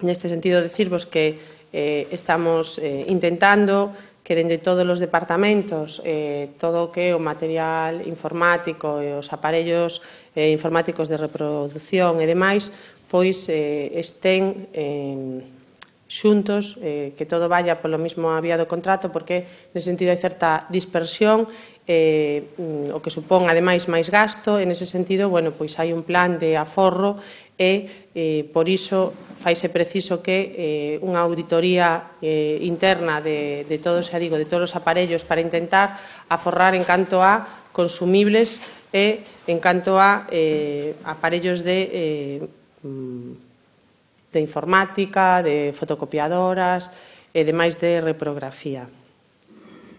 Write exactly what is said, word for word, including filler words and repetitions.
Neste sentido, decirvos que eh, estamos eh, intentando que dende todos os departamentos eh, todo o que é o material informático e os aparellos eh, informáticos de reproducción e demais, pois eh, estén eh, xuntos, eh, que todo vaya polo mismo vía do contrato, porque nese sentido hai certa dispersión, eh, o que supón ademais máis gasto. En ese sentido, bueno, pois hai un plan de aforro e eh, por iso faise preciso que eh, unha auditoría eh, interna de, de todos, xa digo, de todos os aparellos para intentar aforrar en canto a consumibles e en canto a eh, aparellos de eh, de informática, de fotocopiadoras e demais de reprografía.